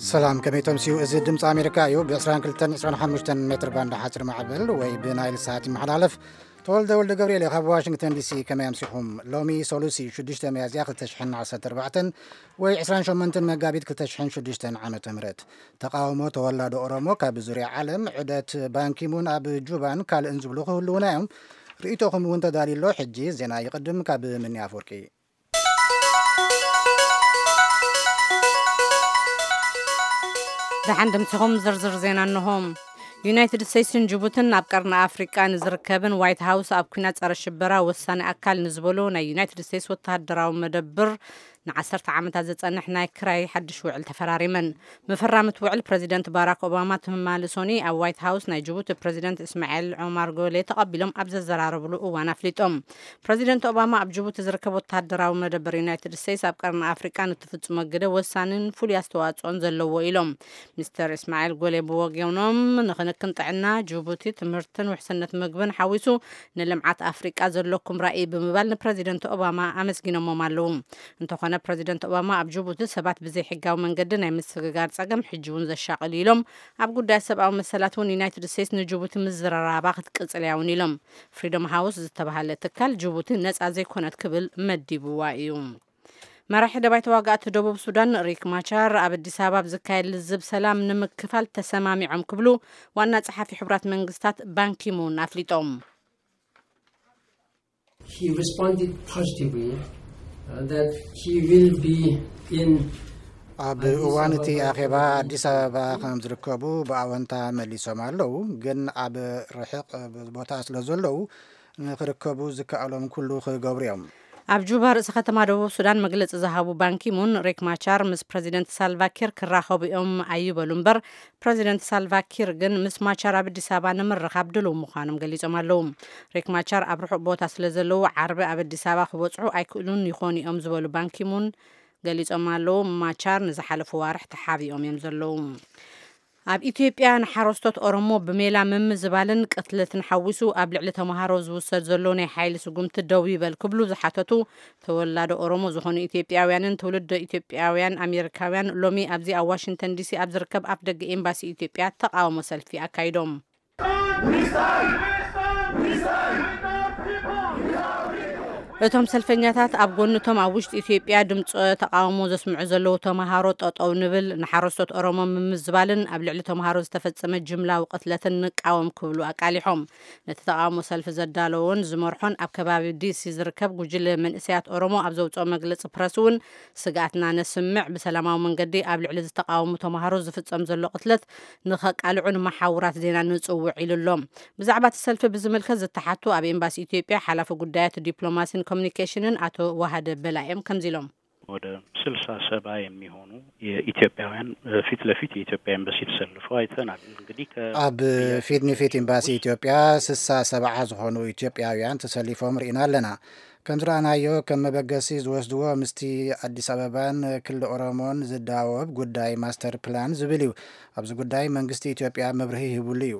ሰላም፣ ከመይ ተምስዩ? እዚ ድምፂ ኣሜሪካ እዩ። ብ22፣ 25 ሜትር ባንድ ሓፂር ማዕበል ወይ ብናይል ሳት ይመሓላለፍ። ተወልደ ወልደ ገብርኤል ካብ ዋሽንግተን ዲሲ። ከመይ ኣምሲኹም? ሎሚ ሰሉሲ ሽዱሽተ ሚያዝያ ክልተ ሽሕን ዓሰርተ ኣርባዕተን ወይ ዕስራን ሸሞንተን መጋቢት ክልተ ሽሕን ሽዱሽተን ዓመተ ምህረት። ተቃውሞ ተወላዶ ኦሮሞ ካብ ዙርያ ዓለም፣ ዑደት ባንኪሙን ኣብ ጁባን ካልእን ዝብሉ ክህልዉና እዮም። ርእይቶኹም እውን ተዳልዩ ኣሎ። ሕጂ ዜና ይቕድም ካብ ምኒ ኣፈወርቂ። ደሓን ድምፅኹም ዝርዝር ዜና እንሆ። ዩናይትድ ስቴትስን ጅቡትን ኣብ ቀርኒ ኣፍሪቃ ንዝርከብን ዋይት ሃውስ ኣብ ኲናት ጸረ ሽበራ ወሳኒ ኣካል ንዝበሎ ናይ ዩናይትድ ስቴትስ ወተሃደራዊ መደብር ንዓሰርተ ዓመታት ዝጸንሕ ናይ ክራይ ሓድሽ ውዕል ተፈራሪመን። ምፍራም እቲ ውዕል ፕረዚደንት ባራክ ኦባማ ትማሊ ሶኒ ኣብ ዋይት ሃውስ ናይ ጅቡቲ ፕረዚደንት እስማኤል ዑማር ጎሌ ተቐቢሎም ኣብ ዘዘራረብሉ እዋን ኣፍሊጦም። ፕረዚደንት ኦባማ ኣብ ጅቡቲ ዝርከብ ወተሃደራዊ መደበር ዩናይትድ ስቴትስ ኣብ ቀርኒ ኣፍሪቃ ንትፍጽሞ ግደ ወሳንን ፍሉይ ኣስተዋጽኦን ዘለዎ ኢሎም። ሚስተር እስማኤል ጎሌ ብወገኖም ንክንክን ጥዕና ጅቡቲ፣ ትምህርትን ውሕስነት ምግብን ሓዊሱ ንልምዓት ኣፍሪቃ ዘለኩም ራእይ ብምባል ንፕረዚደንት ኦባማ ኣመስጊኖሞም ኣለዉ። እንተኾነ ፕረዚደንት ኦባማ ኣብ ጅቡቲ ሰባት ብዘይሕጋዊ መንገዲ ናይ ምስግጋር ጸገም ሕጂ እውን ዘሻቕል ኢሎም። ኣብ ጉዳይ ሰብኣዊ መሰላት እውን ዩናይትድ ስቴትስ ንጅቡቲ ምዝርራባ ክትቅጽል እያ እውን ኢሎም። ፍሪደም ሃውስ ዝተባሃለ ትካል ጅቡቲ ነጻ ዘይኮነት ክብል መዲብዋ እዩ። መራሒ ደባይ ተዋጋእቲ ደቡብ ሱዳን ሪክ ማቻር ኣብ ኣዲስ ኣበባ ኣብ ዝካየድ ልዝብ ሰላም ንምክፋል ተሰማሚዖም ክብሉ ዋና ጸሓፊ ሕቡራት መንግስታት ባንኪሙን ኣፍሊጦም። He responded positively uh, that he will be in ኣብ እዋን እቲ ኣኼባ ኣዲስ ኣበባ ከም ዝርከቡ ብኣወንታ መሊሶም ኣለዉ። ግን ኣብ ርሕቕ ቦታ ስለ ዘለዉ ንክርከቡ ዝከኣሎም ኩሉ ክገብሩ እዮም። ኣብ ጁባ ርእሲ ከተማ ደቡብ ሱዳን መግለጺ ዝሃቡ ባንኪሙን ሪክ ማቻር ምስ ፕረዚደንት ሳልቫኪር ክራኸቡ እዮም ኣይበሉ እምበር ፕረዚደንት ሳልቫኪር ግን ምስ ማቻር ኣብ ኣዲስ ኣበባ ንምርኻብ ድልው ምዃኖም ገሊጾም ኣለዉ። ሪክ ማቻር ኣብ ርሑቕ ቦታ ስለ ዘለዉ ዓርቢ ኣብ ኣዲስ ኣበባ ክበጽሑ ኣይክእሉን ይኾኑ እዮም ዝበሉ ባንኪሙን ገሊጾም ኣለዉ። ማቻር ንዝሓለፉ ዋርሕ ተሓቢኦም እዮም ዘለዉ። ኣብ ኢትዮጵያ ንሓረስቶት ኦሮሞ ብሜላ ምምዝባልን ቅትለትን ሓዊሱ ኣብ ልዕሊ ተምሃሮ ዝውሰድ ዘሎ ናይ ሓይሊ ስጉምቲ ደው ይበል ክብሉ ዝሓተቱ ተወላዶ ኦሮሞ ዝኾኑ ኢትዮጵያውያንን ትውልደ ኢትዮጵያውያን ኣሜሪካውያን ሎሚ ኣብዚ ኣብ ዋሽንግተን ዲሲ ኣብ ዝርከብ ኣፍ ደገ ኤምባሲ ኢትዮጵያ ተቃውሞ ሰልፊ ኣካይዶም። እቶም ሰልፈኛታት ኣብ ጎንቶም ኣብ ውሽጢ ኢትዮጵያ ድምፂ ተቃውሞ ዘስምዑ ዘለዉ ተምሃሮ ጠጠው ንብል፣ ንሓረስቶት ኦሮሞ ምምዝባልን ኣብ ልዕሊ ተምሃሮ ዝተፈጸመ ጅምላዊ ቅትለትን ንቃወም ክብሉ ኣቃሊሖም። ነቲ ተቃውሞ ሰልፊ ዘዳለዎን ዝመርሖን ኣብ ከባቢ ዲሲ ዝርከብ ጉጅለ መንእሰያት ኦሮሞ ኣብ ዘውፅኦ መግለፂ ፕረስ እውን ስግኣትና ነስምዕ፣ ብሰላማዊ መንገዲ ኣብ ልዕሊ ዝተቃወሙ ተምሃሮ ዝፍጸም ዘሎ ቅትለት ንኸቃልዑ ንመሓውራት ዜና ንጽውዕ ኢሉ ኣሎ። ብዛዕባ እቲ ሰልፊ ብዝምልከት ዝተሓቱ ኣብ ኤምባሲ ኢትዮጵያ ሓላፊ ጉዳያት ዲፕሎማሲን ኮሚኒኬሽንን ኣቶ ዋሃደ በላይም ከምዚ ኢሎም። ወደ ስልሳ ሰባ የሚሆኑ የኢትዮጵያውያን ፊት ለፊት የኢትዮጵያ ኤምባሲ ተሰልፈው አይተናል። እንግዲህ ከ- ኣብ ፊት ንፊት ኤምባሲ ኢትዮጵያ ስሳ ሰብዓ ዝኾኑ ኢትዮጵያውያን ተሰሊፎም ርኢና ኣለና። ከም ዝረኣናዮ ከም መበገሲ ዝወስድዎ ምስቲ ኣዲስ ኣበባን ክልል ኦሮሞን ዝዳወብ ጉዳይ ማስተር ፕላን ዝብል እዩ። ኣብዚ ጉዳይ መንግስቲ ኢትዮጵያ መብርሂ ሂቡሉ እዩ።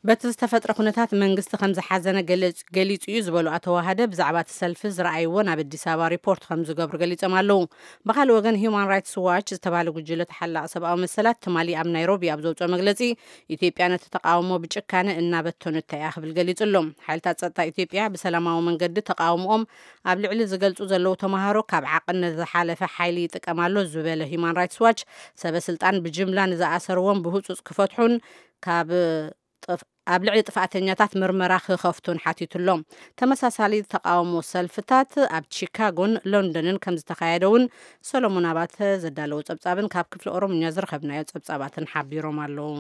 በቲ ዝተፈጥረ ኩነታት መንግስቲ ከም ዝሓዘነ ገለጽ- ገሊጹ እዩ ዝበሉ ኣቶ ዋሃደ ብዛዕባ እቲ ሰልፊ ዝረኣይዎ ናብ ኣዲስ ኣበባ ሪፖርት ከም ዝገብሩ ገሊጾም ኣለዉ። ብኻልእ ወገን ሂዩማን ራይትስ ዋች ዝተባህለ ጉጅለ ተሓላቒ ሰብኣዊ መሰላት ትማሊ ኣብ ናይሮቢ ኣብ ዘውፅኦ መግለፂ ኢትዮጵያ ነቲ ተቃውሞ ብጭካነ እናበተኑታ እያ ክብል ገሊጹ ኣሎ። ሓይልታት ጸጥታ ኢትዮጵያ ብሰላማዊ መንገዲ ተቃውሞኦም ኣብ ልዕሊ ዝገልጹ ዘለዉ ተምሃሮ ካብ ዓቕን ዝሓለፈ ሓይሊ ይጥቀም ኣሎ ዝበለ ሂዩማን ራይትስ ዋች ሰበ ስልጣን ብጅምላ ንዝኣሰርዎም ብህጹጽ ክፈትሑን ካብ ጥፍ- ኣብ ልዕሊ ጥፍኣተኛታት ምርመራ ክኸፍቱን ሓቲቱ ኣሎ። ተመሳሳሊ ተቃውሞ ሰልፍታት ኣብ ቺካጎን ሎንደንን ከም ዝተኻየደ እውን ሰሎሞን ኣባተ ዘዳለዎ ጸብጻብን ካብ ክፍሊ ኦሮምኛ ዝረኸብናዮ ጸብጻባትን ሓቢሮም ኣለዉ።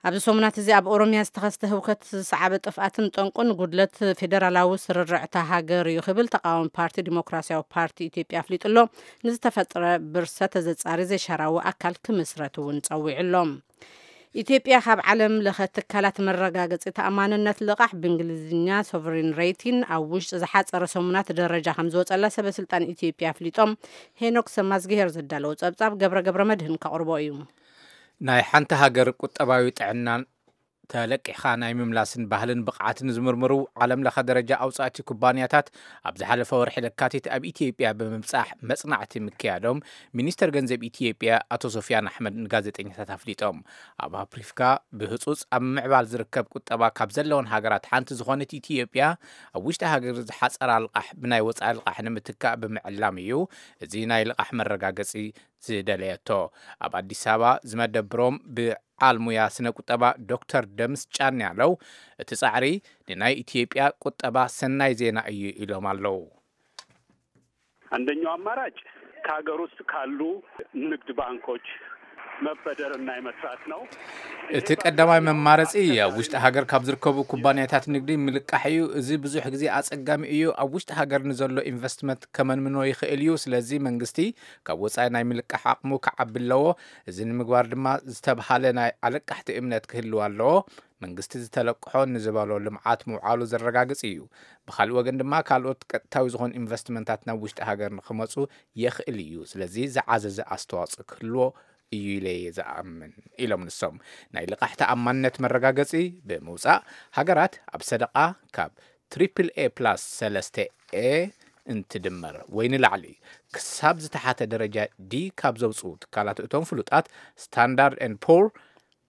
ኣብዚ ሰሙናት እዚ ኣብ ኦሮምያ ዝተኸስተ ህውከት ዝሰዓበ ጥፍኣትን ጠንቁን ጉድለት ፌደራላዊ ስርርዕታ ሃገር እዩ ክብል ተቃዋሚ ፓርቲ ዲሞክራሲያዊ ፓርቲ ኢትዮጵያ ኣፍሊጡ ኣሎ። ንዝተፈጥረ ብርሰት ተዘጻሪ ዘይሻራዊ ኣካል ክምስረት እውን ጸዊዑ ኣሎ። ኢትዮጵያ ካብ ዓለም ለኸ ትካላት መረጋገፂ ተኣማንነት ልቓሕ ብእንግሊዝኛ ሶቨሪን ሬቲን ኣብ ውሽጢ ዝሓፀረ ሰሙናት ደረጃ ከም ዝወፀላ ሰበ ስልጣን ኢትዮጵያ ኣፍሊጦም። ሄኖክ ሰማዝግሄር ዘዳለዎ ፀብፃብ ገብረ ገብረ መድህን ከቕርቦ እዩ። ናይ ሓንቲ ሃገር ቁጠባዊ ጥዕናን ተለቂሕኻ ናይ ምምላስን ባህልን ብቕዓትን ዝምርምሩ ዓለም ለኸ ደረጃ ኣውፃእቲ ኩባንያታት ኣብ ዝሓለፈ ወርሒ ለካቲት ኣብ ኢትዮጵያ ብምብፃሕ መፅናዕቲ ምክያዶም ሚኒስተር ገንዘብ ኢትዮጵያ ኣቶ ሶፊያን ኣሕመድ ንጋዜጠኛታት ኣፍሊጦም። ኣብ ኣፍሪካ ብህፁፅ ኣብ ምዕባል ዝርከብ ቁጠባ ካብ ዘለውን ሃገራት ሓንቲ ዝኾነት ኢትዮጵያ ኣብ ውሽጢ ሃገር ዝሓፀራ ልቓሕ ብናይ ወፃኢ ልቓሕ ንምትካእ ብምዕላም እዩ እዚ ናይ ልቓሕ መረጋገፂ ዝደለየቶ። ኣብ ኣዲስ ኣበባ ዝመደብሮም ብዓል ሙያ ስነ ቁጠባ ዶክተር ደምስ ጫን ያለው እቲ ፃዕሪ ንናይ ኢትዮጵያ ቁጠባ ሰናይ ዜና እዩ ኢሎም ኣለዉ። አንደኛው አማራጭ ከሀገር ውስጥ ካሉ ንግድ ባንኮች መበደርና የመስራት ነው። እቲ ቀዳማይ መማረፂ ኣብ ውሽጢ ሃገር ካብ ዝርከቡ ኩባንያታት ንግዲ ምልቃሕ እዩ። እዚ ብዙሕ ግዜ ኣፀጋሚ እዩ። ኣብ ውሽጢ ሃገር ንዘሎ ኢንቨስትመንት ከመንምኖ ይኽእል እዩ። ስለዚ መንግስቲ ካብ ወፃኢ ናይ ምልቃሕ ዓቕሙ ክዓቢ ኣለዎ። እዚ ንምግባር ድማ ዝተብሃለ ናይ ኣለቃሕቲ እምነት ክህልው ኣለዎ። መንግስቲ ዝተለቅሖ ንዝበሎ ልምዓት ምውዓሉ ዘረጋግፅ እዩ። ብካልእ ወገን ድማ ካልኦት ቀጥታዊ ዝኾኑ ኢንቨስትመንታት ናብ ውሽጢ ሃገር ንክመፁ የኽእል እዩ። ስለዚ ዝዓዘዘ ኣስተዋፅኦ ክህልዎ እዩ ኢለ እየ ዝኣምን ኢሎም ንሶም። ናይ ልቓሕ ተኣማንነት መረጋገፂ ብምውፃእ ሃገራት ኣብ ሰደቓ ካብ ትሪፕል ኤ ፕላስ ሰለስተ ኤ እንትድመር ወይ ንላዕሊ ክሳብ ዝተሓተ ደረጃ ዲ ካብ ዘውፅኡ ትካላት እቶም ፍሉጣት ስታንዳርድ ኤንድ ፖር፣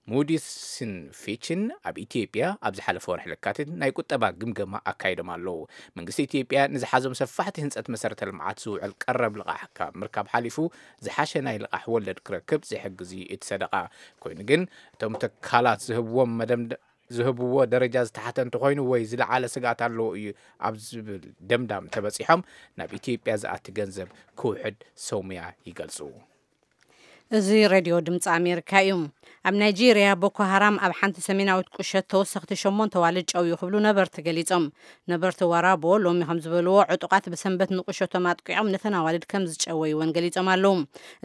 ሙዲስን ፊችን ኣብ ኢትዮጵያ ኣብ ዝሓለፈ ወርሒ ለካቲት ናይ ቁጠባ ግምገማ ኣካይዶም ኣለዉ። መንግስቲ ኢትዮጵያ ንዝሓዞም ሰፋሕቲ ህንፀት መሰረተ ልምዓት ዝውዕል ቀረብ ልቓሕ ካብ ምርካብ ሓሊፉ ዝሓሸ ናይ ልቓሕ ወለድ ክረክብ ዝሕግዝ እዩ እቲ ሰደቓ። ኮይኑ ግን እቶም ትካላት ዝህብዎም መደምደ ዝህብዎ ደረጃ ዝተሓተ እንተኾይኑ ወይ ዝለዓለ ስግኣት ኣለዎ እዩ ኣብ ዝብል ደምዳም ተበፂሖም ናብ ኢትዮጵያ ዝኣቲ ገንዘብ ክውሕድ ሰውምያ ይገልፁ። እዚ ሬድዮ ድምፂ ኣሜሪካ እዩ። ኣብ ናይጄርያ ቦኮ ሃራም ኣብ ሓንቲ ሰሜናዊት ቁሸት ተወሰኽቲ ሸሞንተ ኣዋልድ ጨውዩ ክብሉ ነበርቲ ገሊጾም። ነበርቲ ዋራቦ ሎሚ ከም ዝበልዎ ዕጡቓት ብሰንበት ንቁሸቶም ኣጥቂዖም ነተን ኣዋልድ ከም ዝጨወይወን ገሊጾም ኣለዉ።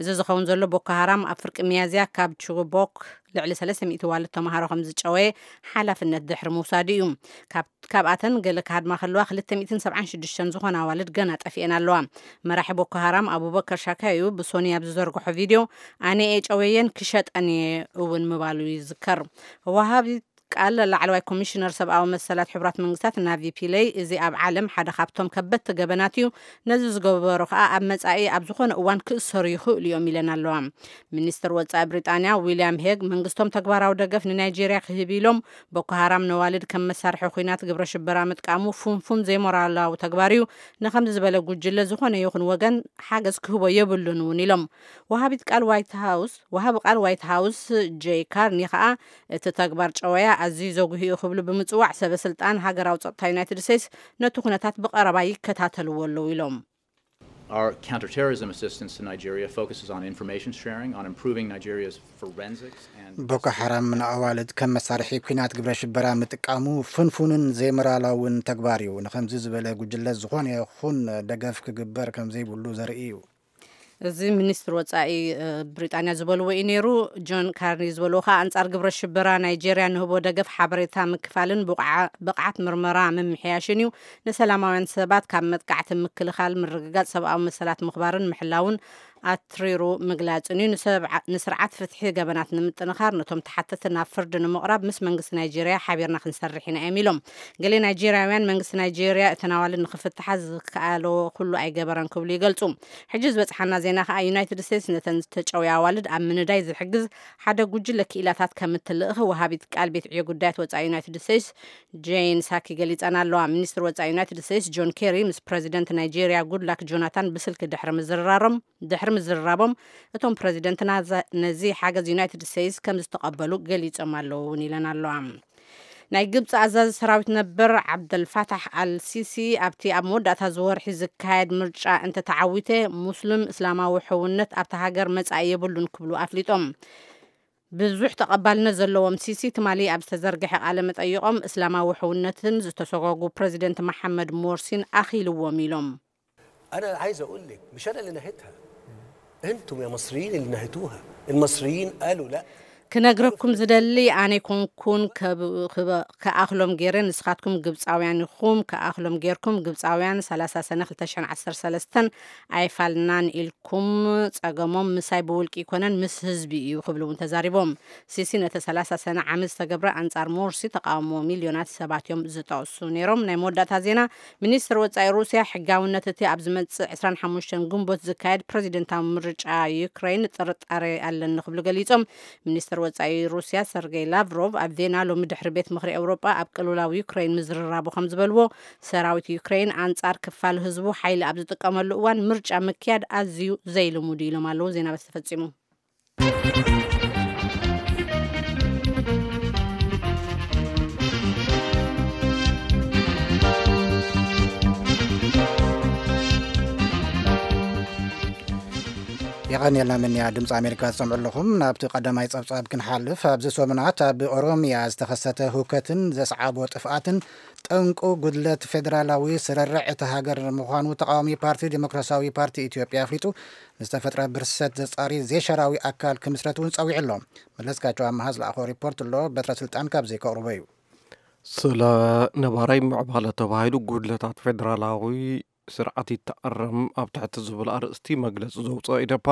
እዚ ዝኸውን ዘሎ ቦኮ ሃራም ኣብ ፍርቂ ሚያዝያ ካብ ቹቦክ ልዕሊ ሰለስተ ሚእቲ ኣዋልድ ተምሃሮ ከም ዝጨወየ ሓላፍነት ድሕሪ ምውሳዱ እዩ። ካብ ካብኣተን ገለ ክሃድማ ከለዋ ክልተ ሚእትን ሰብዓን ሽዱሽተን ዝኾና ኣዋልድ ገና ጠፊኤን ኣለዋ። መራሒ ቦኮ ሃራም ኣቡበከር ሻካዩ ብሶኒ ኣብ ዝዘርግሖ ቪድዮ ኣነ እየ ጨወየን ክሸጠን እየ እውን ምባሉ ይዝከር። ወሃቢ ቃል ላዕለዋይ ኮሚሽነር ሰብኣዊ መሰላት ሕቡራት መንግስታት ናቪ ፒለይ እዚ ኣብ ዓለም ሓደ ካብቶም ከበድቲ ገበናት እዩ። ነዚ ዝገበሩ ከኣ ኣብ መጻኢ ኣብ ዝኾነ እዋን ክእሰሩ ይኽእሉ እዮም ኢለን ኣለዋ። ሚኒስትር ወጻኢ ብሪጣንያ ዊልያም ሄግ መንግስቶም ተግባራዊ ደገፍ ንናይጄርያ ክህብ ኢሎም ቦኮ ሃራም ነዋልድ ከም መሳርሒ ኹናት ግብረ ሽበራ ምጥቃሙ ፉንፉን ዘይሞራላዊ ተግባር እዩ። ንኸምዚ ዝበለ ጉጅለ ዝኾነ ይኹን ወገን ሓገዝ ክህቦ የብሉን እውን ኢሎም። ወሃቢት ቃል ዋይት ሃውስ ወሃቢ ቃል ዋይት ሃውስ ጄይ ካርኒ ከኣ እቲ ተግባር ጨወያ ኣዝዩ ዘጉሂ እዩ ክብሉ ብምጽዋዕ ሰበ ስልጣን ሃገራዊ ጸጥታ ዩናይትድ ስቴትስ ነቲ ኩነታት ብቐረባ ይከታተልዎ ኣለዉ ኢሎም። Our counterterrorism assistance to Nigeria focuses on information sharing, on improving Nigeria's forensics and ቦኮ ሓራም ንኣዋልድ ከም መሳርሒ ኲናት ግብረ ሽበራ ምጥቃሙ ፍንፉንን ዘይሞራላውን ተግባር እዩ። ንኸምዚ ዝበለ ጉጅለ ዝኾነ ይኹን ደገፍ ክግበር ከም ዘይብሉ ዘርኢ እዩ። እዚ ሚኒስትር ወጻኢ ብሪጣንያ ዝበልዎ እዩ ነይሩ። ጆን ካርኒ ዝበልዎ ከዓ ኣንጻር ግብረ ሽበራ ናይጄርያ ንህቦ ደገፍ ሓበሬታ ምክፋልን ብቕዓት ምርመራ ምምሕያሽን እዩ። ንሰላማውያን ሰባት ካብ መጥቃዕቲ ምክልኻል፣ ምርግጋጽ ሰብኣዊ መሰላት ምኽባርን ምሕላውን ኣትሪሩ ምግላጽን እዩ። ንስርዓት ፍትሒ ገበናት ንምጥንኻር፣ ነቶም ተሓተቲ ናብ ፍርዲ ንምቕራብ ምስ መንግስቲ ናይጄርያ ሓቢርና ክንሰርሕ ኢና እዮም ኢሎም። ገሌ ናይጄርያውያን መንግስቲ ናይጄርያ እተን ኣዋልድ ንኽፍትሓ ዝከኣሎ ኩሉ ኣይገበረን ክብሉ ይገልጹ። ሕጂ ዝበጽሓና ዜና ከኣ ዩናይትድ ስቴትስ ነተን ዝተጨውያ ኣዋልድ ኣብ ምንዳይ ዝሕግዝ ሓደ ጉጅለ ክኢላታት ከም እትልእኽ ወሃቢት ቃል ቤት ዕዮ ጉዳያት ወጻኢ ዩናይትድ ስቴትስ ጄን ሳኪ ገሊጸን ኣለዋ። ሚኒስትር ወጻኢ ዩናይትድ ስቴትስ ጆን ኬሪ ምስ ፕረዚደንት ናይጄርያ ጉድላክ ጆናታን ብስልኪ ድሕሪ ምዝርራሮም ድሕሪ ምዝርራቦም እቶም ፕረዚደንት ነዚ ሓገዝ ዩናይትድ ስቴትስ ከም ዝተቐበሉ ገሊጾም ኣለዉ እውን ኢለን ኣለዋ። ናይ ግብፂ ኣዛዚ ሰራዊት ነበር ዓብደልፋታሕ ኣልሲሲ ኣብቲ ኣብ መወዳእታ ዝወርሒ ዝካየድ ምርጫ እንተተዓዊተ ሙስሊም እስላማዊ ሕውነት ኣብታ ሃገር መጻኢ የብሉን ክብሉ ኣፍሊጦም። ብዙሕ ተቐባልነት ዘለዎም ሲሲ ትማሊ ኣብ ዝተዘርግሐ ቃለ መጠይቖም እስላማዊ ሕውነትን ዝተሰጓጉ ፕረዚደንት መሓመድ ሞርሲን ኣኺልዎም ኢሎም። أنا عايز أقول لك مش أنا اللي نهيتها. أنتم يا مصريين اللي نهيتوها. المصريين قالوا لا. ክነግረኩም ዝደሊ፣ ኣነ ኮንኩን ከብ- ክበ- ከኣኽሎም ገይረ፣ ንስኻትኩም ግብፃውያን ኢኹም። ከኣኽሎም ገይርኩም፣ ግብፃውያን ሰላሳ ሰነ ክልተ ሽሕን ዓሰርተ ሰለስተን ኣይፋልናን ኢልኩም። ጸገሞም ምሳይ ብውልቂ ይኮነን፣ ምስ ህዝቢ እዩ ክብሉ እውን ተዛሪቦም። ሲሲ ነቲ ሰላሳ ሰነ ዓመት ዝተገብረ ኣንጻር ሞርሲ ተቃውሞ ሚልዮናት ሰባት እዮም ዝጠቕሱ ነይሮም። ናይ መወዳእታ ዜና፣ ሚኒስትር ወጻኢ ሩስያ ሕጋውነት እቲ ኣብ ዝመጽእ ዕስራን ሓሙሽተን ግንቦት ዝካየድ ፕረዚደንታዊ ምርጫ ዩክሬን ጥርጣሬ ኣለኒ ክብሉ ገሊጾም። ሚኒስትር ወጻኢ ሩስያ ሰርጌይ ላቭሮቭ ኣብ ቬና ሎሚ ድሕሪ ቤት ምኽሪ ኤውሮጳ ኣብ ቅልውላው ዩክሬን ምዝርራቡ ከም ዝበልዎ፣ ሰራዊት ዩክሬን ኣንጻር ክፋል ህዝቡ ሓይሊ ኣብ ዝጥቀመሉ እዋን ምርጫ ምክያድ ኣዝዩ ዘይልሙድ እዩ ኢሎም ኣለዉ። ዜና በስ ተፈጺሙ። የቐንየልና ምንያ ድምፂ ኣሜሪካ ዝሰምዑ ኣለኹም። ናብቲ ቀዳማይ ፀብፃብ ክንሓልፍ፣ ኣብዚ ሰሙናት ኣብ ኦሮሚያ ዝተኸሰተ ህውከትን ዘስዓቦ ጥፍኣትን ጠንቁ ጉድለት ፌደራላዊ ስርርዕ እታ ሃገር ምዃኑ ተቃዋሚ ፓርቲ ዲሞክራሲያዊ ፓርቲ ኢትዮጵያ ኣፍሊጡ፣ ንዝተፈጥረ ብርሰት ዘጻሪ ዜሸራዊ ኣካል ክምስረት እውን ጸዊዑ ኣሎ። መለስካቸው ኣመሃ ዝለኣኾ ሪፖርት ኣሎ፣ በትረ ስልጣን ካብዚ ከቕርቦ እዩ። ስለ ነባራይ ምዕባለ ተባሂሉ ጉድለታት ፌደራላዊ ስርዓት ይተኣረም ኣብ ትሕቲ ዝብል ኣርእስቲ መግለፂ ዘውፅኦ ኢደፓ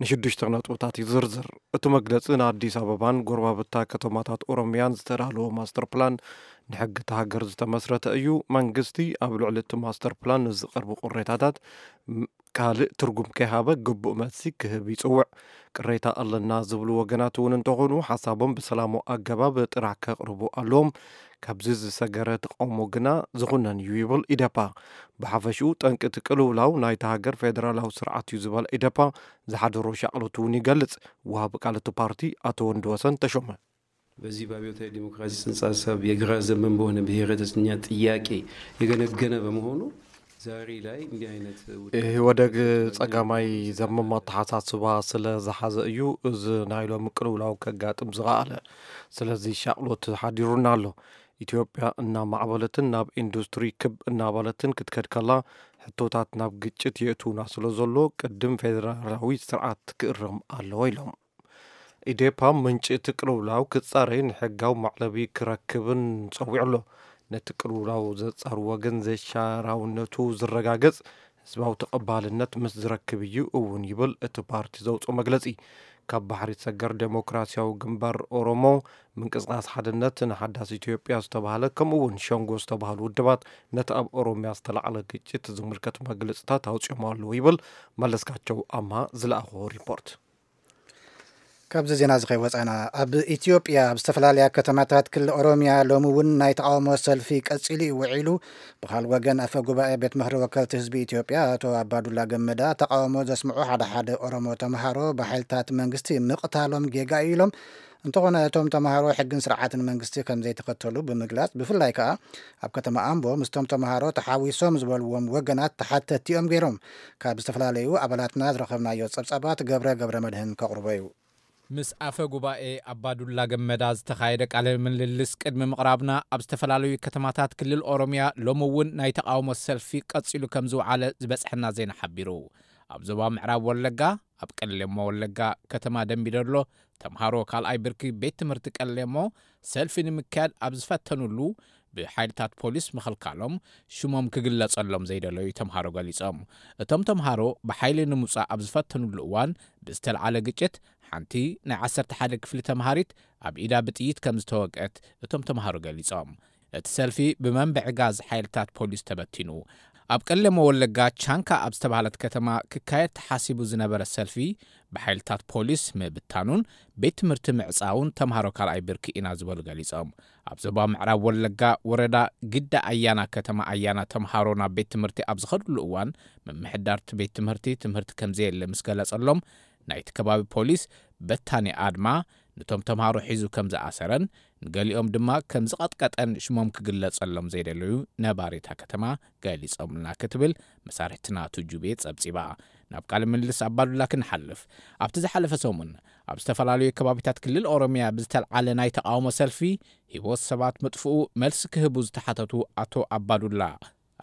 ንሽዱሽተ ነጥብታት ይዝርዝር። እቲ መግለፂ ንኣዲስ ኣበባን ጎረባብታ ከተማታት ኦሮሚያን ዝተዳለወ ማስተር ፕላን ንሕጊ እቲ ሃገር ዝተመስረተ እዩ። መንግስቲ ኣብ ልዕሊ እቲ ማስተር ፕላን ንዝቐርቡ ቅሬታታት ም- ካልእ ትርጉም ከይሃበ ግቡእ መልሲ ክህብ ይፅውዕ። ቅሬታ ኣለና ዝብሉ ወገናት እውን እንተኾኑ ሓሳቦም ብሰላማዊ ኣገባብ ጥራሕ ከቕርቡ ኣለዎም። ካብዚ ዝሰገረ ተቃውሞ ግና ዝኹነን እዩ ይብል ኢደፓ። ብሓፈሽኡ ጠንቂ እቲ ቅልውላው ናይታ ሃገር ፌደራላዊ ስርዓት እዩ ዝበለ ኢደፓ ዝሓደሮ ሻቕሎት እውን ይገልጽ። ወሃቢ ቃል እቲ ፓርቲ ኣቶ ወንድወሰን ተሾመ በዚህ በአብዮታዊ ዲሞክራሲ ጽንሰ ሀሳብ የግራ ዘመን በሆነ ብሔረተኛ ጥያቄ የገነገነ በመሆኑ ዛሬ ላይ እንዲህ አይነት ውድቀት ኢህወደግ ጸጋማይ ዘመም ኣተሓሳስባ ስለ ዝሓዘ እዩ እዚ ናይ ሎሚ ቅልውላው ከጋጥም ዝኸኣለ። ስለዚ ሻቕሎት ሓዲሩና ኣሎ። ኢትዮጵያ እናማዕበለትን ናብ ኢንዱስትሪ ክብ እናበለትን ክትከድ ከላ ሕቶታት ናብ ግጭት የእትውና ስለ ዘሎ ቅድም ፌደራላዊ ስርዓት ክእረም ኣለዎ ኢሎም። ኢዴፓ ምንጪ እቲ ቅልውላው ክጻረይን ሕጋዊ መዕለቢ ክረክብን ጸዊዑ ኣሎ። ነቲ ቅልውላው ዘጻሪ ወገን ዘይሻራውነቱ ዝረጋገጽ ህዝባዊ ተቐባልነት ምስ ዝረክብ እዩ እውን ይብል እቲ ፓርቲ ዘውፅኦ መግለጺ። ካብ ባሕሪ ሰገር ዴሞክራሲያዊ ግንባር ኦሮሞ፣ ምንቅስቃስ ሓድነት ንሓዳስ ኢትዮጵያ ዝተባህለ ከምኡ እውን ሸንጎ ዝተባህሉ ውድባት ነቲ ኣብ ኦሮሚያ ዝተላዕለ ግጭት ዝምልከት መግለፅታት ኣውፅኦም ኣለዉ ይብል መለስካቸው ኣምሃ ዝለኣኾ ሪፖርት። ካብዚ ዜና እዚ ከይወፃና፣ ኣብ ኢትዮጵያ ኣብ ዝተፈላለያ ከተማታት ክልል ኦሮሚያ ሎሚ እውን ናይ ተቃውሞ ሰልፊ ቀፂሉ እዩ ውዒሉ። ብካል ወገን ኣፈ ጉባኤ ቤት ምክሪ ወከልቲ ህዝቢ ኢትዮጵያ ኣቶ ኣባዱላ ገመዳ ተቃውሞ ዘስምዑ ሓደ ሓደ ኦሮሞ ተምሃሮ ብሓይልታት መንግስቲ ምቕታሎም ጌጋ እዩ ኢሎም። እንተኾነ እቶም ተምሃሮ ሕግን ስርዓትን መንግስቲ ከም ዘይተኸተሉ ብምግላፅ፣ ብፍላይ ከዓ ኣብ ከተማ ኣምቦ ምስቶም ተምሃሮ ተሓዊሶም ዝበልዎም ወገናት ተሓተቲ እዮም ገይሮም። ካብ ዝተፈላለዩ ኣባላትና ዝረኸብናዮ ፀብፃባት ገብረ ገብረ መድህን ከቕርቦ እዩ። ምስ ኣፈ ጉባኤ ኣባዱላ ገመዳ ዝተኻየደ ቃለ ምልልስ ቅድሚ ምቕራብና፣ ኣብ ዝተፈላለዩ ከተማታት ክልል ኦሮሚያ ሎሚ እውን ናይ ተቓውሞ ሰልፊ ቀጺሉ ከም ዝወዓለ ዝበጽሐና ዜና ሓቢሩ። ኣብ ዞባ ምዕራብ ወለጋ፣ ኣብ ቀሌሞ ወለጋ ከተማ ደምቢዶሎ፣ ተምሃሮ ካልኣይ ብርኪ ቤት ትምህርቲ ቀሌሞ ሰልፊ ንምክያድ ኣብ ዝፈተኑሉ፣ ብሓይልታት ፖሊስ ምኽልካሎም ሽሞም ክግለጸሎም ዘይደለዩ ተምሃሮ ገሊጾም። እቶም ተምሃሮ ብሓይሊ ንምውጻእ ኣብ ዝፈተኑሉ እዋን ብዝተልዓለ ግጭት ሓንቲ ናይ ዓሰርተ ሓደ ክፍሊ ተምሃሪት ኣብ ኢዳ ብጥይት ከም ዝተወግአት እቶም ተምሃሮ ገሊጾም። እቲ ሰልፊ ብመንብዒ ጋዝ ሓይልታት ፖሊስ ተበቲኑ። ኣብ ቀለሞ ወለጋ ቻንካ ኣብ ዝተባህለት ከተማ ክካየድ ተሓሲቡ ዝነበረ ሰልፊ ብሓይልታት ፖሊስ ምብታኑን ቤት ትምህርቲ ምዕጻውን ተምሃሮ ካልኣይ ብርኪ ኢና ዝበሉ ገሊጾም። ኣብ ዞባ ምዕራብ ወለጋ ወረዳ ግዳ ኣያና ከተማ ኣያና ተምሃሮ ናብ ቤት ትምህርቲ ኣብ ዝኸድሉ እዋን ምምሕዳርቲ ቤት ትምህርቲ ትምህርቲ ከምዘየለ ምስ ገለጸሎም ናይቲ ከባቢ ፖሊስ በታኒ ኣድማ ነቶም ተምሃሮ ሒዙ ከም ዝኣሰረን ንገሊኦም ድማ ከም ዝቐጥቀጠን ሽሞም ክግለጸሎም ዘይደለዩ ነባሪታ ከተማ ገሊጾምልና ክትብል መሳርሕትና ቱጁቤ ጸብጺባ። ናብ ቃለ ምልልስ ኣባዱላ ክንሓልፍ፣ ኣብቲ ዝሓለፈ ሰሙን ኣብ ዝተፈላለዩ ከባቢታት ክልል ኦሮሚያ ብዝተልዓለ ናይ ተቓውሞ ሰልፊ ህይወት ሰባት ምጥፍኡ መልሲ ክህቡ ዝተሓተቱ ኣቶ ኣባዱላ፣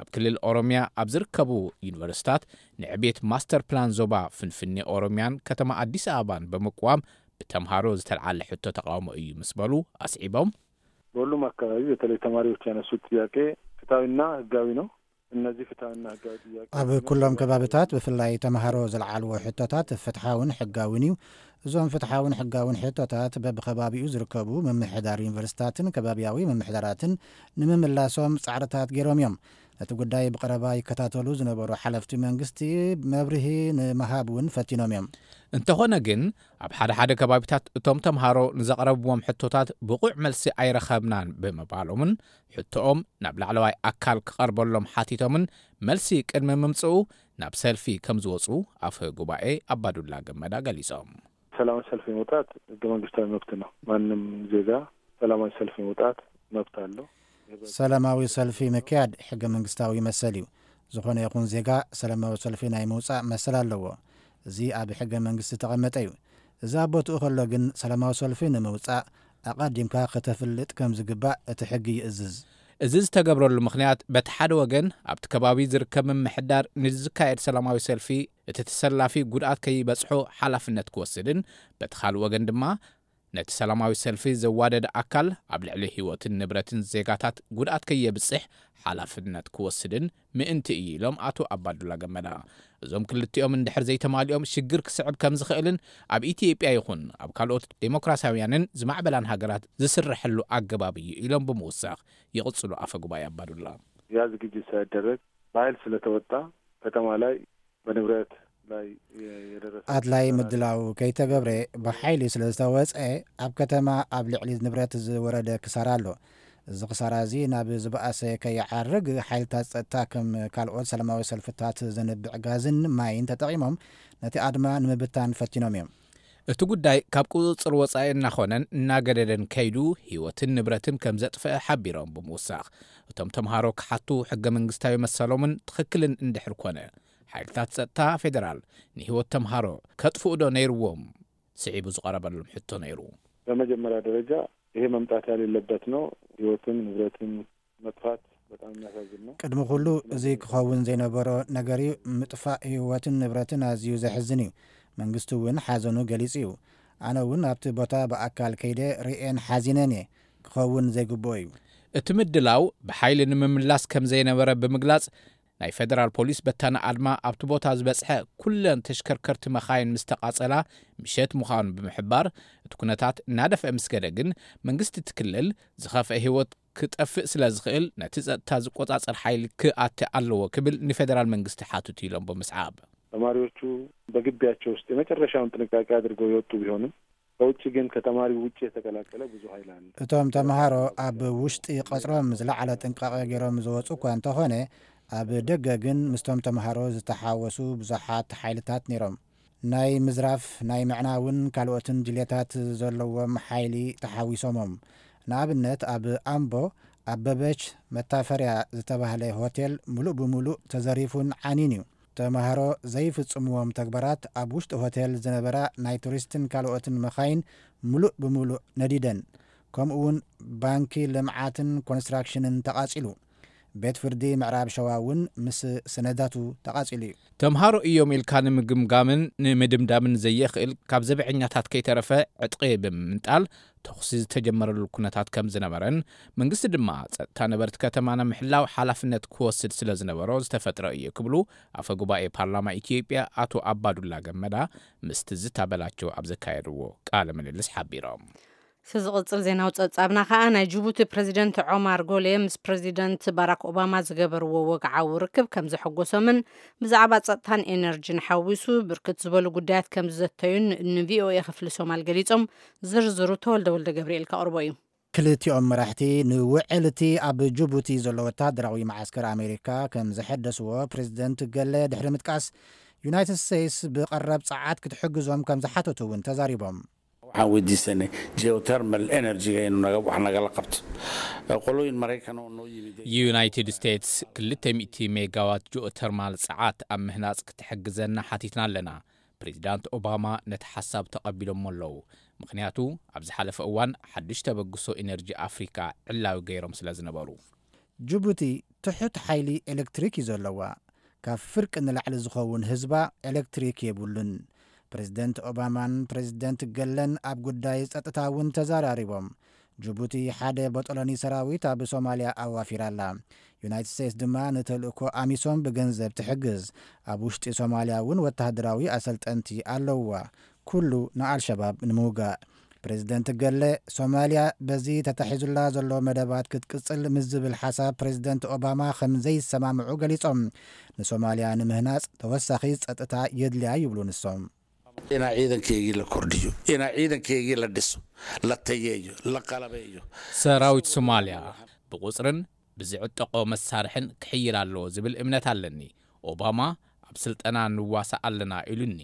ኣብ ክልል ኦሮሚያ ኣብ ዝርከቡ ዩኒቨርሲታት ንዕቤት ማስተር ፕላን ዞባ ፍንፍኔ ኦሮሚያን ከተማ ኣዲስ ኣበባን ብምቅዋም ብተምሃሮ ዝተልዓለ ሕቶ ተቃውሞ እዩ ምስ በሉ ኣስዒቦም። በሁሉም አካባቢ በተለይ ተማሪዎች ያነሱት ጥያቄ ፍትሐዊና ህጋዊ ነው። እነዚህ ፍትሐዊና ህጋዊ ጥያቄ ኣብ ኩሎም ከባብታት ብፍላይ ተምሃሮ ዝለዓልዎ ሕቶታት ፍትሓውን ሕጋውን እዩ። እዞም ፍትሓውን ሕጋውን ሕቶታት በብከባቢኡ ዝርከቡ ምምሕዳር ዩኒቨርሲታትን ከባቢያዊ ምምሕዳራትን ንምምላሶም ጻዕርታት ገይሮም እዮም። ነቲ ጉዳይ ብቐረባ ይከታተሉ ዝነበሩ ሓለፍቲ መንግስቲ መብርሂ ንምሃብ እውን ፈቲኖም እዮም። እንተኾነ ግን ኣብ ሓደ ሓደ ከባቢታት እቶም ተምሃሮ ንዘቕረብዎም ሕቶታት ብቑዕ መልሲ ኣይረኸብናን ብምባሎምን ሕቶኦም ናብ ላዕለዋይ ኣካል ክቐርበሎም ሓቲቶምን መልሲ ቅድሚ ምምፅኡ ናብ ሰልፊ ከም ዝወፁ ኣፈ ጉባኤ ኣባዱላ ገመዳ ገሊፆም። ሰላማዊ ሰልፍ የመውጣት ህገ መንግስታዊ መብት ነው። ማንም ዜጋ ሰላማዊ ሰልፍ የመውጣት መብት አለው። ሰላማዊ ሰልፊ ምክያድ ሕገ መንግስታዊ መሰል እዩ። ዝኾነ ይኹን ዜጋ ሰላማዊ ሰልፊ ናይ ምውፃእ መሰል ኣለዎ። እዚ ኣብ ሕገ መንግስቲ ተቐመጠ እዩ። እዚ ኣብ ቦትኡ ከሎ ግን ሰላማዊ ሰልፊ ንምውፃእ ኣቐዲምካ ከተፍልጥ ከም ዝግባእ እቲ ሕጊ ይእዝዝ። እዚ ዝተገብረሉ ምኽንያት በቲ ሓደ ወገን ኣብቲ ከባቢ ዝርከብ ምምሕዳር ንዝካየድ ሰላማዊ ሰልፊ እቲ ተሰላፊ ጉድኣት ከይበፅሖ ሓላፍነት ክወስድን በቲ ካልእ ወገን ድማ ነቲ ሰላማዊ ሰልፊ ዘዋደደ ኣካል ኣብ ልዕሊ ህይወትን ንብረትን ዜጋታት ጉድኣት ከየብፅሕ ሓላፍነት ክወስድን ምእንቲ እዩ ኢሎም ኣቶ ኣባዱላ ገመዳ። እዞም ክልቲኦም እንድሕር ዘይተማሊኦም ሽግር ክስዕብ ከም ዝኽእልን ኣብ ኢትዮጵያ ይኹን ኣብ ካልኦት ዴሞክራሲያውያንን ዝማዕበላን ሃገራት ዝስረሐሉ ኣገባብ እዩ ኢሎም ብምውሳኽ ይቕጽሉ ኣፈ ጉባኤ ኣባዱላ። ያ ዝግጅት ሳይደረግ በኃይል ስለተወጣ ከተማ ላይ በንብረት ላይ የደረሰ ኣድላይ ምድላው ከይተገብረ ብሓይሊ ስለ ዝተወፀ ኣብ ከተማ ኣብ ልዕሊ ንብረት ዝወረደ ክሳራ ኣሎ። እዚ ክሳራ እዚ ናብ ዝበኣሰ ከይዓርግ ሓይልታት ፀጥታ ከም ካልኦት ሰላማዊ ሰልፍታት ዘንብዕ ጋዝን ማይን ተጠቒሞም ነቲ ኣድማ ንምብታን ፈቲኖም እዮም። እቲ ጉዳይ ካብ ቁፅፅር ወፃኢ እናኾነን እናገደደን ከይዱ ህይወትን ንብረትን ከም ዘጥፍአ ሓቢሮም ብምውሳኽ እቶም ተምሃሮ ክሓቱ ሕገ መንግስታዊ መሰሎምን ትኽክልን እንድሕር ኮነ ሓይልታት ፀጥታ ፌዴራል ንህይወት ተምሃሮ ከጥፍኡ ዶ ነይርዎም ስዒቡ ዝቐረበሎም ሕቶ ነይሩ። በመጀመሪያ ደረጃ ይሄ መምጣት ያሌለበት ነው። ህይወትን ንብረትን መጥፋት በጣም የሚያሳዝን ነው። ቅድሚ ኩሉ እዚ ክኸውን ዘይነበሮ ነገር እዩ። ምጥፋእ ህይወትን ንብረትን ኣዝዩ ዘሕዝን እዩ። መንግስቲ እውን ሓዘኑ ገሊጹ እዩ። ኣነ እውን ኣብቲ ቦታ ብኣካል ከይደ ርእየን ሓዚነን እየ። ክኸውን ዘይግብኦ እዩ። እቲ ምድላው ብሓይሊ ንምምላስ ከም ዘይነበረ ብምግላጽ ናይ ፌደራል ፖሊስ በታኒ ኣድማ ኣብቲ ቦታ ዝበጽሐ ኩለን ተሽከርከርቲ መኻይን ምስ ተቓጸላ ምሸት ምዃኑ ብምሕባር እቲ ኩነታት እናደፍአ ምስ ገደ ግን መንግስቲ እቲ ክልል ዝኸፍአ ህይወት ክጠፍእ ስለ ዝኽእል ነቲ ጸጥታ ዝቆጻጸር ሓይሊ ክኣቲ ኣለዎ ክብል ንፌደራል መንግስቲ ሓትቱ ኢሎም ብምስዓብ ተማሪዎቹ በግቢያቸው ውስጥ የመጨረሻውን ጥንቃቄ አድርገው የወጡ ቢሆንም ከውጭ ግን ከተማሪው ውጭ የተቀላቀለ ብዙ ኃይል አለ። እቶም ተምሃሮ ኣብ ውሽጢ ቀጽሮም ዝለዓለ ጥንቃቐ ገይሮም ዝወፁ እኳ እንተኾነ ኣብ ደገ ግን ምስቶም ተምሃሮ ዝተሓወሱ ብዙሓት ሓይልታት ነይሮም። ናይ ምዝራፍ ናይ ምዕናውን ካልኦትን ድልየታት ዘለዎም ሓይሊ ተሓዊሶሞም። ንኣብነት ኣብ ኣምቦ ኣበበች መታፈርያ ዝተባህለ ሆቴል ሙሉእ ብሙሉእ ተዘሪፉን ዓኒን እዩ። ተማሃሮ ዘይፍጽምዎም ተግባራት ኣብ ውሽጢ ሆቴል ዝነበራ ናይ ቱሪስትን ካልኦትን መኻይን ሙሉእ ብሙሉእ ነዲደን። ከምኡ እውን ባንኪ ልምዓትን ኮንስትራክሽንን ተቓጺሉ። ቤት ፍርዲ ምዕራብ ሸዋ እውን ምስ ሰነዳቱ ተቓጺሉ እዩ። ተምሃሮ እዮም ኢልካ ንምግምጋምን ንምድምዳምን ዘየኽእል ካብ ዘብዐኛታት ከይተረፈ ዕጥቂ ብምምንጣል ተኹሲ ዝተጀመረሉ ኩነታት ከም ዝነበረን መንግስቲ ድማ ጸጥታ ነበርቲ ከተማ ንምሕላው ሓላፍነት ክወስድ ስለ ዝነበሮ ዝተፈጥረ እዩ ክብሉ ኣፈ ጉባኤ ፓርላማ ኢትዮጵያ ኣቶ ኣባዱላ ገመዳ ምስ ትዝታ በላቸው ኣብ ዘካየድዎ ቃለ ምልልስ ሓቢሮም። እቲ ዝቕጽል ዜናዊ ጸብጻብና ከኣ ናይ ጅቡቲ ፕረዚደንት ዖማር ጎሌ ምስ ፕረዚደንት ባራክ ኦባማ ዝገበርዎ ወግዓዊ ርክብ ከም ዘሐጎሶምን ብዛዕባ ጸጥታን ኤነርጂን ሓዊሱ ብርክት ዝበሉ ጉዳያት ከም ዝዘተዩን ንቪኦኤ ክፍሊ ሶማል ገሊጾም። ዝርዝሩ ተወልደ ወልደ ገብርኤል ከቕርቦ እዩ። ክልቲኦም መራሕቲ ንውዕል እቲ ኣብ ጅቡቲ ዘሎ ወታደራዊ መዓስከር ኣሜሪካ ከም ዘሐደስዎ ፕሬዚደንት ገለ ድሕሪ ምጥቃስ፣ ዩናይትድ ስቴትስ ብቐረብ ጸዓት ክትሕግዞም ከም ዝሓተቱ እውን ተዛሪቦም። Waxaan weydiisanay geothermal energy-ga inuu naga wax nagala qabto. Qolooyin Maraykan oo noo yimid. United States ክልተ ሚእቲ ሜጋዋት ጂኦተርማል ጸዓት ኣብ ምህናጽ ክትሕግዘና ሓቲትና ኣለና። ፕሬዚዳንት ኦባማ ነቲ ሓሳብ ተቐቢሎሞ ኣለዉ። ምኽንያቱ ኣብ ዝሓለፈ እዋን ሓድሽ ተበግሶ ኢነርጂ ኣፍሪካ ዕላዊ ገይሮም ስለ ዝነበሩ። ጅቡቲ ትሑት ሓይሊ ኤሌክትሪክ እዩ ዘለዋ። ካብ ፍርቂ ንላዕሊ ዝኸውን ህዝባ ኤሌክትሪክ የብሉን። ፕሬዝደንት ኦባማን ፕሬዝደንት ገለን ኣብ ጉዳይ ጸጥታ እውን ተዘራሪቦም። ጅቡቲ ሓደ ቦጦሎኒ ሰራዊት ኣብ ሶማልያ ኣዋፊራ ኣላ። ዩናይትድ ስቴትስ ድማ ንተልእኮ ኣሚሶም ብገንዘብ ትሕግዝ። ኣብ ውሽጢ ሶማልያ እውን ወተሃደራዊ ኣሰልጠንቲ ኣለውዋ። ኩሉ ንኣልሸባብ ንምውጋእ። ፕሬዝደንት ገለ፣ ሶማልያ በዚ ተታሒዙላ ዘሎ መደባት ክትቅጽል ምስ ዝብል ሓሳብ ፕሬዝደንት ኦባማ ከም ዘይሰማምዑ ገሊጾም። ንሶማልያ ንምህናጽ ተወሳኺ ጸጥታ የድልያ ይብሉ ንሶም። Inaa ciidankeygii la kordhiyo, inaa ciidankeygii la dhiso, la tayeeyo, la qalabeeyo. ሰራዊት ሶማልያ ብቁፅርን ብዝዕጠቆ መሳርሕን ክሕይል ኣለዎ ዝብል እምነት ኣለኒ። ኦባማ ኣብ ስልጠና ንዋሳእ ኣለና ኢሉኒ።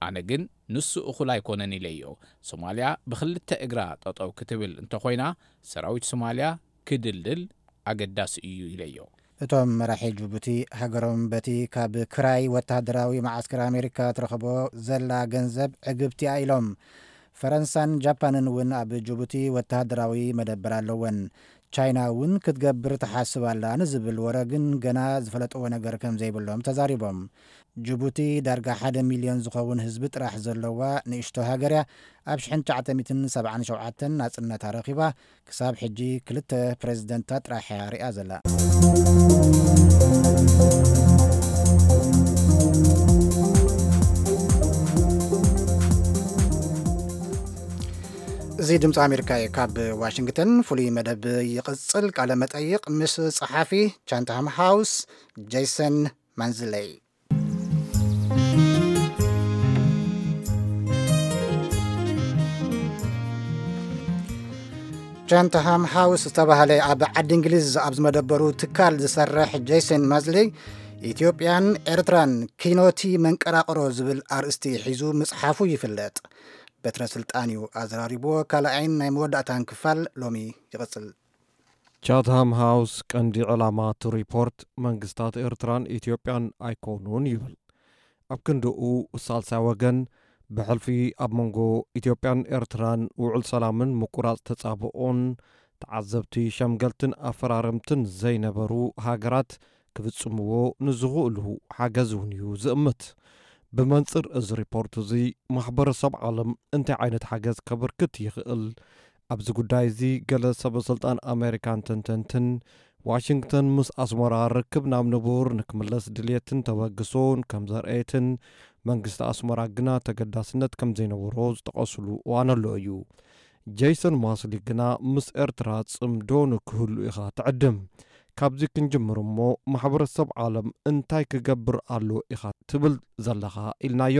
ኣነ ግን ንሱ እኹል ኣይኮነን ኢለዮ። ሶማልያ ብክልተ እግራ ጠጠው ክትብል እንተኾይና ሰራዊት ሶማልያ ክድልድል ኣገዳሲ እዩ ኢለዮ። እቶም መራሒ ጅቡቲ ሃገሮም በቲ ካብ ክራይ ወተሃደራዊ መዓስከር ኣሜሪካ ትረኽቦ ዘላ ገንዘብ ዕግብቲ እያ ኢሎም። ፈረንሳን ጃፓንን እውን ኣብ ጅቡቲ ወተሃደራዊ መደበር ኣለወን። ቻይና እውን ክትገብር ትሓስብ ኣላ ንዝብል ወረ ግን ገና ዝፈለጥዎ ነገር ከም ዘይብሎም ተዛሪቦም። ጅቡቲ ዳርጋ ሓደ ሚልዮን ዝኸውን ህዝቢ ጥራሕ ዘለዋ ንእሽቶ ሃገር እያ። ኣብ ሽሕን ትሽዓተ ሚእትን ሰብዓን ሸውዓተን ናጽነታ ረኺባ። ክሳብ ሕጂ ክልተ ፕሬዝደንታት ጥራሕ እያ ሪኣ ዘላ። እዚ ድምፂ ኣሜሪካ እዩ። ካብ ዋሽንግተን ፍሉይ መደብ ይቕፅል። ቃለ መጠይቕ ምስ ጸሓፊ ቻንትሃም ሃውስ ጄሰን ማንዝለይ። ቻንትሃም ሃውስ ዝተባህለ ኣብ ዓዲ እንግሊዝ ኣብ ዝመደበሩ ትካል ዝሰርሕ ጄሰን ማዝሊ፣ ኢትዮጵያን ኤርትራን ኪኖቲ መንቀራቕሮ ዝብል ኣርእስቲ ሒዙ ምጽሓፉ ይፍለጥ። በትረ ስልጣን እዩ ኣዘራሪብዎ። ካልኣይን ናይ መወዳእታን ክፋል ሎሚ ይቕጽል። ቻትሃም ሃውስ ቀንዲ ዕላማ እቲ ሪፖርት መንግስታት ኤርትራን ኢትዮጵያን ኣይኮኑን ይብል። ኣብ ክንድኡ ሳልሳይ ወገን ብሕልፊ ኣብ መንጎ ኢትዮጵያን ኤርትራን ውዕል ሰላምን ምቁራጽ ተጻብኦን ተዓዘብቲ ሸምገልትን ኣፈራረምትን ዘይነበሩ ሃገራት ክፍጽምዎ ንዝኽእሉ ሓገዝ እውን እዩ ዝእምት። ብመንጽር እዚ ሪፖርት እዚ ማሕበረሰብ ዓለም እንታይ ዓይነት ሓገዝ ከበርክት ይኽእል? ኣብዚ ጉዳይ እዚ ገለ ሰበ ስልጣን ኣሜሪካን ተንተንትን ዋሽንግተን ምስ ኣስመራ ርክብ ናብ ንቡር ንክምለስ ድልየትን ተበግሶን ከም ዘርአየትን መንግስቲ ኣስመራ ግና ተገዳስነት ከም ዘይነበሮ ዝጠቐስሉ እዋን ኣሎ እዩ። ጄይሰን ማስሊ ግና ምስ ኤርትራ ጽምዶ ንክህሉ ኢኻ ትዕድም። ካብዚ ክንጅምር እሞ ማሕበረሰብ ዓለም እንታይ ክገብር ኣሎ ኢኻ ትብል ዘለኻ ኢልናዮ።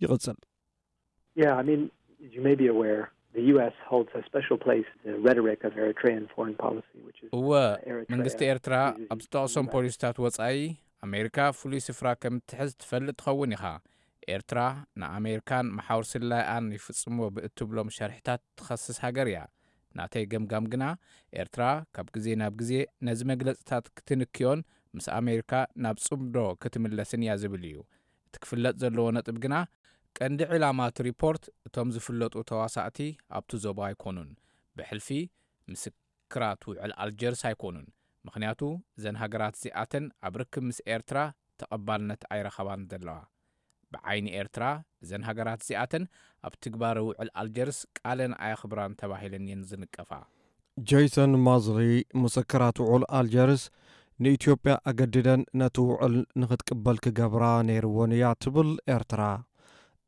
ይቕጽል። Yeah, I mean, as you may be aware, the U S holds a special place in the rhetoric of Eritrean foreign policy, which is እወ መንግስቲ ኤርትራ ኣብ ዝጠቕሶም ፖሊሲታት ወጻኢ ኣሜሪካ ፍሉይ ስፍራ ከም እትሕዝ ትፈልጥ ትኸውን ኢኻ። ኤርትራ ንኣሜሪካን መሓውር ስለላይኣን ይፍጽምዎ ብእትብሎም ሸርሕታት ትኸስስ ሃገር እያ። ናተይ ገምጋም ግና ኤርትራ ካብ ግዜ ናብ ግዜ ነዚ መግለጽታት ክትንክዮን ምስ ኣሜሪካ ናብ ጽምዶ ክትምለስን እያ ዝብል እዩ። እቲ ክፍለጥ ዘለዎ ነጥብ ግና ቀንዲ ዕላማ እቲ ሪፖርት እቶም ዝፍለጡ ተዋሳእቲ ኣብቲ ዞባ ኣይኮኑን። ብሕልፊ ምስክራት ውዕል ኣልጀርስ ኣይኮኑን። ምኽንያቱ እዘን ሃገራት እዚኣተን ኣብ ርክብ ምስ ኤርትራ ተቐባልነት ኣይረኸባን ዘለዋ። ብዓይኒ ኤርትራ እዘን ሃገራት እዚኣተን ኣብ ትግባረ ውዕል ኣልጀርስ ቃለን ኣየኽብራን ተባሂለን እየን ዝንቀፋ። ጄይሰን ማዝሊ ምስክራት ውዕል ኣልጀርስ ንኢትዮጵያ ኣገዲደን ነቲ ውዕል ንኽትቅበል ክገብራ ነይርወን እያ ትብል ኤርትራ።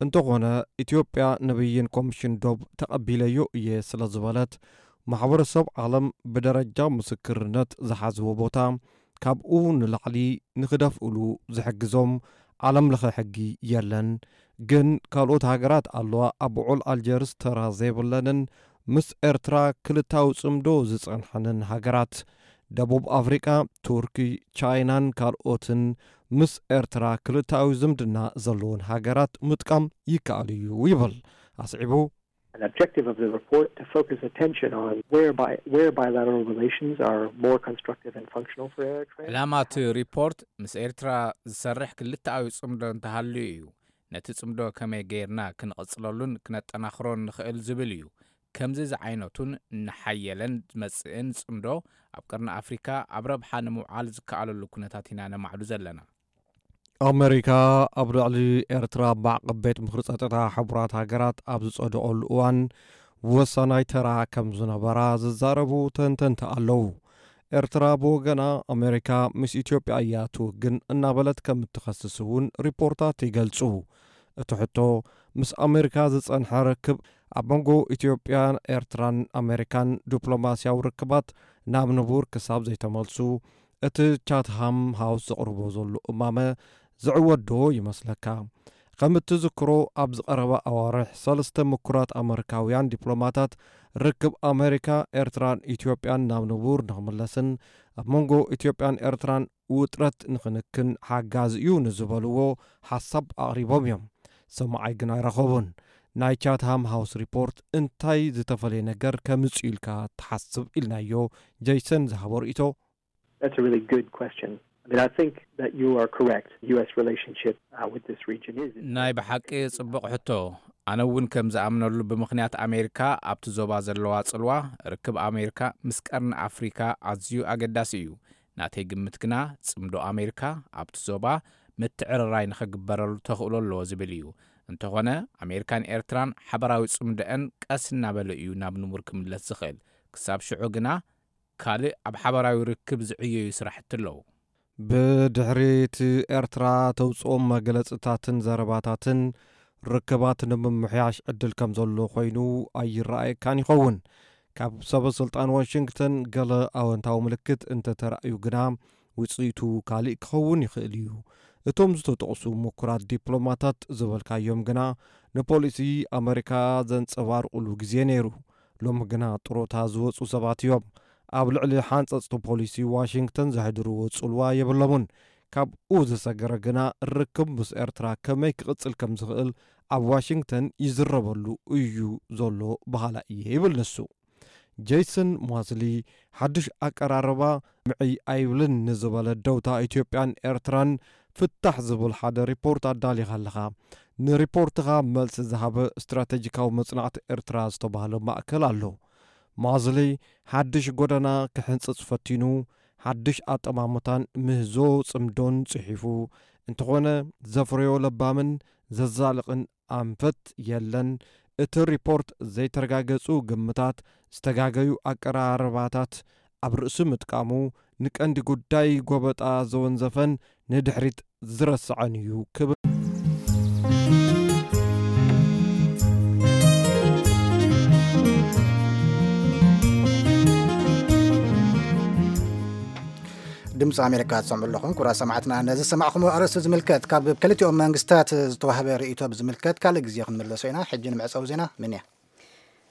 እንተኾነ ኢትዮጵያ ንብይን ኮሚሽን ዶብ ተቐቢለዮ እየ ስለ ዝበለት ማሕበረሰብ ዓለም ብደረጃ ምስክርነት ዝሓዝዎ ቦታ ካብኡ ንላዕሊ ንኽደፍእሉ ዝሕግዞም ዓለም ለኸ ሕጊ የለን። ግን ካልኦት ሃገራት ኣለዋ ኣብ ውዕል ኣልጀርስ ተራ ዘይብለንን ምስ ኤርትራ ክልታዊ ጽምዶ ዝጸንሐንን ሃገራት። ደቡብ ኣፍሪቃ፣ ቱርኪ፣ ቻይናን ካልኦትን ምስ ኤርትራ ክልታዊ ዝምድና ዘለወን ሃገራት ምጥቃም ይከኣል እዩ ይብል ኣስዒቡ። An objective of the report to focus attention on where, bi- where bilateral relations are more constructive and functional for Eritrea. ዕላማ እቲ ሪፖርት ምስ ኤርትራ ዝሰርሕ ክልተኣዊ ጽምዶ እንተሃልዩ እዩ። ነቲ ጽምዶ ከመይ ገይርና ክንቕጽለሉን ክነጠናኽሮን ንኽእል ዝብል እዩ። ከምዚ ዝዓይነቱን እናሓየለን ዝመጽእን ጽምዶ ኣብ ቀርኒ ኣፍሪካ ኣብ ረብሓ ንምውዓል ዝከኣለሉ ኩነታት ኢና ነማዕዱ ዘለና። ኣመሪካ ኣብ ልዕሊ ኤርትራ ማዕቐብ ቤት ምኽሪ ጸጥታ ሕቡራት ሃገራት ኣብ ዝጸደቐሉ እዋን ወሳናይ ተራ ከም ዝነበራ ዝዛረቡ ተንተንቲ ኣለዉ። ኤርትራ ብወገና ኣመሪካ ምስ ኢትዮጵያ እያ ትውግን እናበለት ከም እትኸስስ እውን ሪፖርታት ይገልጹ። እቲ ሕቶ ምስ ኣመሪካ ዝጸንሐ ርክብ ኣብ መንጎ ኢትዮጵያን ኤርትራን ኣመሪካን ዲፕሎማስያዊ ርክባት ናብ ንቡር ክሳብ ዘይተመልሱ እቲ ቻትሃም ሃውስ ዘቕርቦ ዘሎ እማመ ዝዕወት ዶ ይመስለካ? ከም እትዝክሮ ኣብ ዝቐረባ ኣዋርሕ ሰለስተ ምኩራት ኣመሪካውያን ዲፕሎማታት ርክብ ኣመሪካ፣ ኤርትራን ኢትዮጵያን ናብ ንቡር ንኽምለስን ኣብ መንጎ ኢትዮጵያን ኤርትራን ውጥረት ንኽንክን ሓጋዚ እዩ ንዝበልዎ ሓሳብ ኣቕሪቦም እዮም። ሰማዓይ ግን ኣይረኸቡን። ናይ ቻትሃም ሃውስ ሪፖርት እንታይ ዝተፈለየ ነገር ከምጽእ ኢልካ ትሓስብ ኢልናዮ ጀይሰን ዝሃቦ ርእይቶ። That's a really good question. I mean, I think that you are correct. The U S relationship uh, with this region is. ናይ ብሓቂ ጽቡቕ ሕቶ። ኣነ እውን ከም ዝኣምነሉ ብምኽንያት ኣሜሪካ ኣብቲ ዞባ ዘለዋ ጽልዋ ርክብ ኣሜሪካ ምስ ቀርኒ ኣፍሪካ ኣዝዩ ኣገዳሲ እዩ። ናተይ ግምት ግና ጽምዶ ኣሜሪካ ኣብቲ ዞባ ምትዕርራይ ንኸግበረሉ ተኽእሎ ኣለዎ ዝብል እዩ። እንተኾነ ኣሜሪካን ኤርትራን ሓበራዊ ጽምዶአን ቀስ እናበለ እዩ ናብ ንቡር ክምለስ ዝኽእል። ክሳብ ሽዑ ግና ካልእ ኣብ ሓበራዊ ርክብ ዝዕየዩ ስራሕቲ ኣለዉ። ብድሕሪ እቲ ኤርትራ ተውፅኦም መግለፅታትን ዘረባታትን ርክባት ንምምሕያሽ ዕድል ከም ዘሎ ኮይኑ ኣይረኣየካን ይኸውን። ካብ ሰበ ስልጣን ዋሽንግተን ገለ ኣወንታዊ ምልክት እንተተራእዩ ግና ውፅኢቱ ካሊእ ክኸውን ይኽእል እዩ። እቶም ዝተጠቕሱ ምኩራት ዲፕሎማታት ዝበልካዮም ግና ንፖሊሲ ኣመሪካ ዘንፀባርቑሉ ግዜ ነይሩ። ሎሚ ግና ጥሮታ ዝወፁ ሰባት እዮም። ኣብ ልዕሊ ሓንፀፅቲ ፖሊሲ ዋሽንግተን ዘሕድርዎ ፅልዋ የብሎምን። ካብኡ ዝሰገረ ግና ርክብ ምስ ኤርትራ ከመይ ክቕፅል ከም ዝኽእል ኣብ ዋሽንግተን ይዝረበሉ እዩ ዘሎ በሃላ እየ ይብል ንሱ። ጄይሰን ሞስሊ ሓድሽ ኣቀራርባ ምዕይ ኣይብልን ንዝበለ ደውታ ኢትዮጵያን ኤርትራን ፍታሕ ዝብል ሓደ ሪፖርት ኣዳሊኻ ኣለኻ። ንሪፖርትኻ መልሲ ዝሃበ ስትራቴጂካዊ መጽናዕቲ ኤርትራ ዝተባህለ ማእከል ኣሎ። ሞስሊ ሓድሽ ጎደና ክሕንጽጽ ፈቲኑ ሓድሽ ኣጠማምታን ምህዞ ጽምዶን ጽሒፉ እንተኾነ ዘፍረዮ ለባምን ዘዛልቕን ኣንፈት የለን። እቲ ሪፖርት ዘይተረጋገጹ ግምታት፣ ዝተጋገዩ ኣቀራርባታት፣ ኣብ ርእሲ ምጥቃሙ ንቀንዲ ጉዳይ ጎበጣ ዘወንዘፈን ንድሕሪት ዝረስዐን እዩ ክብል ድምፂ ኣሜሪካ ትሰምዑ ኣለኹም። ክቡራት ሰማዕትና፣ ነዚ ዝሰማዕኹም ኣርእስቲ ዝምልከት ካብ ክልቲኦም መንግስታት ዝተዋህበ ርእይቶ ብዝምልከት ካልእ ግዜ ክንምለሶ ኢና። ሕጂ ንመዕፀዊ ዜና ምን እያ?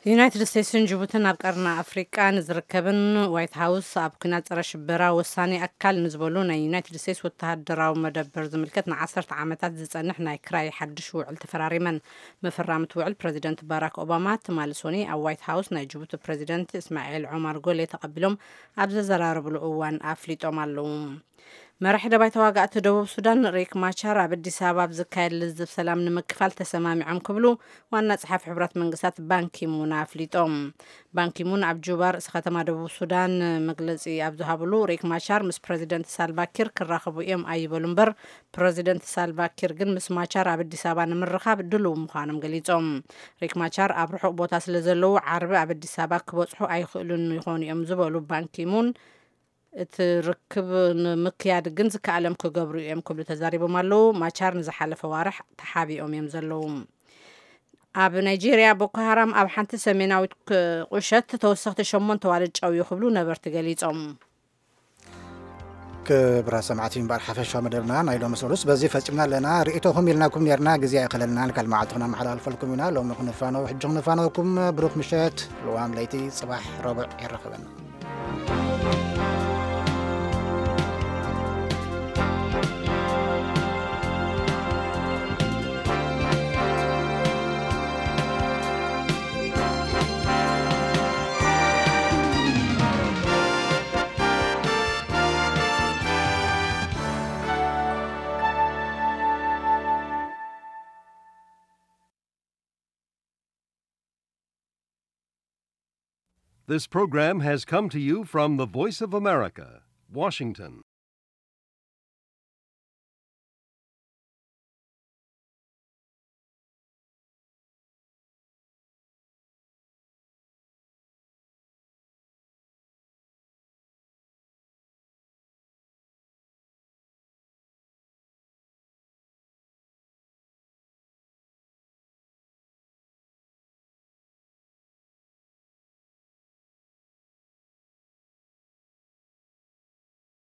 ዩናይትድ ስቴትስን ጅቡትን ኣብ ቀርኒ ኣፍሪቃ ንዝርከብን ዋይት ሃውስ ኣብ ኩናት ጸረ ሽበራ ወሳኒ ኣካል ንዝበሉ ናይ ዩናይትድ ስቴትስ ወተሃደራዊ መደበር ዝምልከት ንዓሰርተ ዓመታት ዝጸንሕ ናይ ክራይ ሓድሽ ውዕል ተፈራሪመን። መፈራምቲ ውዕል ፕረዚደንት ባራክ ኦባማ ትማሊ ሶኒ ኣብ ዋይት ሃውስ ናይ ጅቡቲ ፕረዚደንት እስማኤል ዑማር ጎሌ ተቐቢሎም ኣብ ዘዘራረብሉ እዋን ኣፍሊጦም ኣለዉ። መራሒ ደባይ ተዋጋእቲ ደቡብ ሱዳን ሪክ ማቻር ኣብ ኣዲስ ኣበባ ኣብ ዝካየድ ልዝብ ሰላም ንምክፋል ተሰማሚዖም ክብሉ ዋና ጸሓፊ ሕቡራት መንግስታት ባንኪሙን ኣፍሊጦም። ባንኪሙን ኣብ ጁባ ርእሲ ከተማ ደቡብ ሱዳን መግለጺ ኣብ ዝሃብሉ ሪክ ማቻር ምስ ፕረዚደንት ሳልቫኪር ክራኸቡ እዮም ኣይበሉ እምበር ፕረዚደንት ሳልቫኪር ግን ምስ ማቻር ኣብ ኣዲስ ኣበባ ንምርኻብ ድሉው ምዃኖም ገሊጾም። ሪክ ማቻር ኣብ ርሑቕ ቦታ ስለ ዘለዉ ዓርቢ ኣብ ኣዲስ ኣበባ ክበጽሑ ኣይኽእሉን ይኾኑ እዮም ዝበሉ ባንኪሙን እቲ ርክብ ንምክያድ ግን ዝከኣለም ክገብሩ እዮም ክብሉ ተዛሪቦም ኣለዉ። ማቻር ንዝሓለፈ ዋርሕ ተሓቢኦም እዮም ዘለዉ። ኣብ ናይጄርያ ቦኮ ሃራም ኣብ ሓንቲ ሰሜናዊት ቁሸት ተወሰኽቲ ሸሞንተ ዋልድ ጨውዩ ክብሉ ነበርቲ ገሊጾም። ክብራ ሰማዕቲ እምበኣር ሓፈሻዊ መደብና ናይ ሎሚ ሰሉስ በዚ ፈጺምና ኣለና። ርእይቶኹም ኢልናኩም ነርና፣ ግዜ ኣይኸለልናን። ካልእ መዓልቲ ክነመሓላልፈልኩም ኢና። ሎሚ ክንፋነው ሕጂ ክንፋነውኩም። ብሩኽ ምሸት። ልዋም ለይቲ ጽባሕ ረቡዕ የራኽበና። This program has come to you from the Voice of America, Washington.